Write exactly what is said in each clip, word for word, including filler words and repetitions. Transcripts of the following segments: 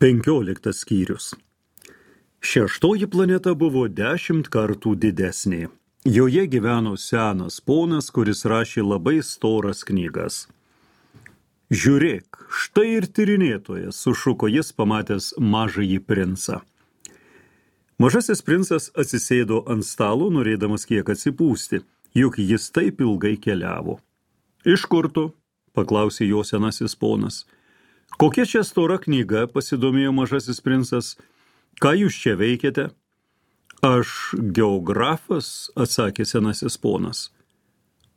Penkioliktas skyrius. Šeštoji planeta buvo dešimt kartų didesnė. Joje gyveno senas ponas, kuris rašė labai storas knygas. Žiūrėk, štai ir tyrinėtojas, sušuko jis pamatęs mažąjį princą. Mažasis princas atsisėdo ant stalo, norėdamas kiek atsipūsti, juk jis taip ilgai keliavo. Iš kur tu? Paklausė jo senasis ponas. Kokia čia stora knyga, pasidomėjo mažasis princas. Ką jūs čia veikiate? Aš geografas, atsakė senasis ponas.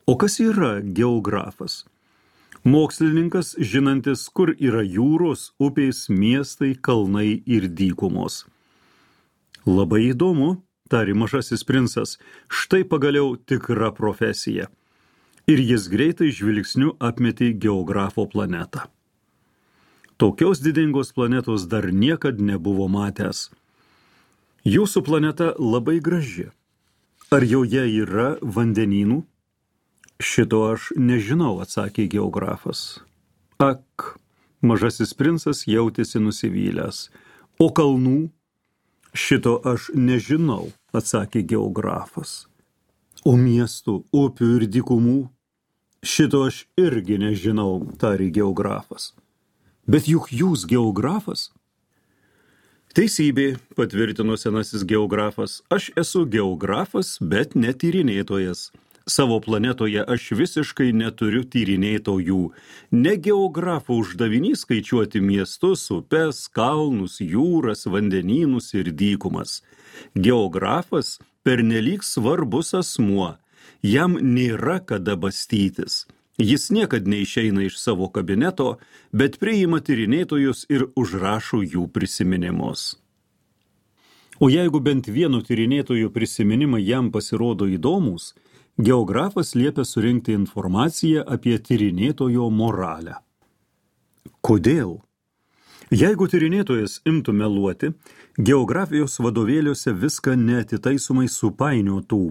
O kas yra geografas? Mokslininkas, žinantis, kur yra jūros, upės, miestai, kalnai ir dykumos. Labai įdomu, tarė mažasis princas, štai pagaliau tikra profesija. Ir jis greitai žvilgsniu apmetė geografo planetą. Tokios didingos planetos dar niekad nebuvo matęs. Jūsų planeta labai graži. Ar joje yra vandenynų? Šito aš nežinau, atsakė geografas. Ak, mažasis princas jautėsi nusivylęs. O kalnų? Šito aš nežinau, atsakė geografas. O miestų, upių ir dykumų? Šito aš irgi nežinau, tarė geografas. Bet juk jūs geografas? Teisybė, patvirtino senasis geografas, aš esu geografas, bet ne tyrinėtojas. Savo planetoje aš visiškai neturiu tyrinėtojų. Ne geografo uždavinys skaičiuoti miestus, upes, kalnus, jūras, vandenynus ir dykumas. Geografas pernelyg svarbus asmuo. Jam nėra kada bastytis. Jis niekad neišeina iš savo kabineto, bet priima tyrinėtojus ir užrašo jų prisiminimus. O jeigu bent vieno tyrinėtojų prisiminimai jam pasirodo įdomus, geografas liepia surinkti informaciją apie tyrinėtojo moralę. Kodėl? Jeigu tyrinėtojas imtų meluoti, geografijos vadovėliuose viską neatitaisomai supainiotų.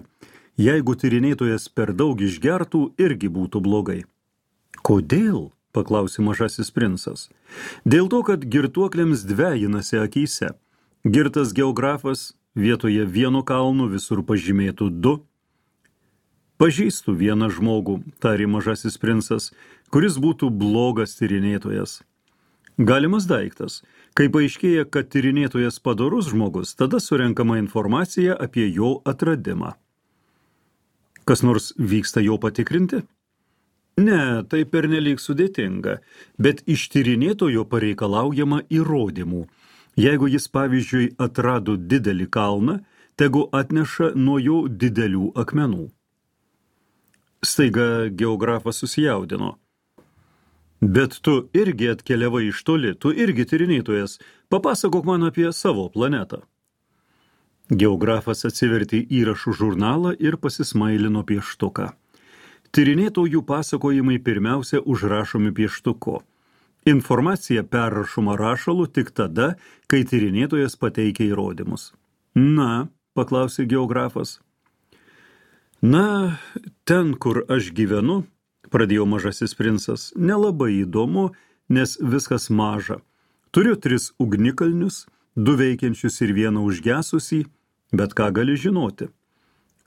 Jeigu tyrinėtojas per daug išgertų, irgi būtų blogai. Kodėl? Paklausė mažasis princas. Dėl to, kad girtuokliams dvejinasi akyse. Girtas geografas vietoje vieno kalno visur pažymėtų du. Pažįstu vieną žmogų, tarė mažasis princas, kuris būtų blogas tyrinėtojas. Galimas daiktas. Kai paaiškėja, kad tyrinėtojas padorus žmogus, tada surenkama informacija apie jo atradimą. Kas nors vyksta jo patikrinti? Ne, tai pernelyg sudėtinga, bet iš tyrinėtojo pareikalaujama įrodymų. Jeigu jis, pavyzdžiui, atrado didelį kalną, tegu atneša nuo jo didelių akmenų. Staiga geografas susijaudino. Bet tu irgi atkeliavai iš toli, tu irgi tyrinėtojas, papasakok man apie savo planetą. Geografas atsivertė įrašų žurnalą ir pasismailino pieštuką. Tyrinėtojų pasakojimai pirmiausia užrašomi pieštuku. Informacija perrašoma rašalu tik tada, kai tyrinėtojas pateikia įrodymus. Na, paklausė geografas. Na, ten, kur aš gyvenu, pradėjo mažasis princas, nelabai įdomu, nes viskas maža. Turiu tris ugnikalnius, du veikiančius ir vieną užgesusį, bet ką gali žinoti?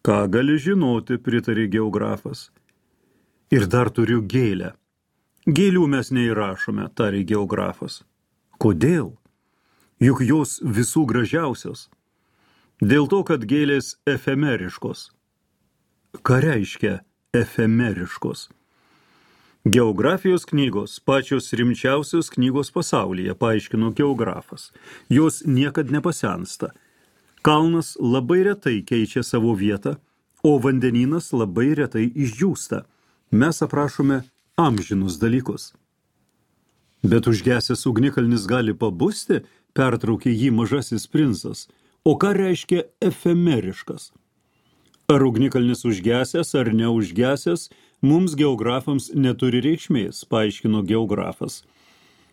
Ką gali žinoti, pritarė geografas. Ir dar turiu gėlę. Gėlių mes neįrašome, tarė geografas. Kodėl? Juk jos visų gražiausios. Dėl to, kad gėlės efemeriškos. Ką reiškia efemeriškos? Geografijos knygos, pačios rimčiausios knygos pasaulyje, paaiškino geografas. Jos niekad nepasensta. Kalnas labai retai keičia savo vietą, o vandenynas labai retai išdžiūsta. Mes aprašome amžinus dalykus. Bet užgesęs ugnikalnis gali pabusti, pertraukė jį mažasis princas. O ką reiškia efemeriškas? Ar ugnikalnis užgesęs ar neužgesęs, mums geografams neturi reikšmės, paaiškino geografas.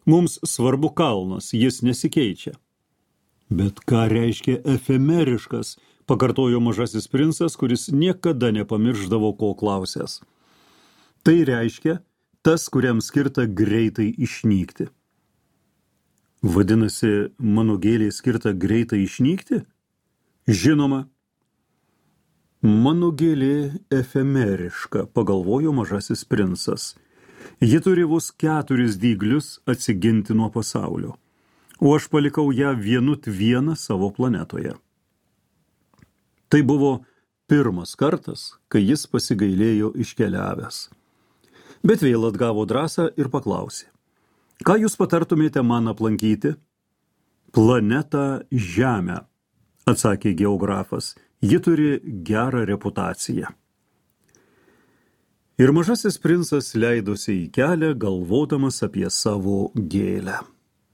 Mums svarbu kalnas, jis nesikeičia. Bet ką reiškia efemeriškas, pakartojo mažasis princas, kuris niekada nepamiršdavo, ko klausęs. Tai reiškia tas, kuriam skirta greitai išnykti. Vadinasi, mano gėlė skirta greitai išnykti? Žinoma. Mano gėlė efemeriška, pagalvojo mažasis princas. Ji turi vos keturis dyglius atsiginti nuo pasaulio, o aš palikau ją vienut vieną savo planetoje. Tai buvo pirmas kartas, kai jis pasigailėjo iškeliavęs. Bet vėl atgavo drąsą ir paklausė. Ką jūs patartumėte man aplankyti? Planetą Žemę, atsakė geografas. Ji turi gerą reputaciją. Ir mažasis princas leidosi į kelią, galvodamas apie savo gėlę.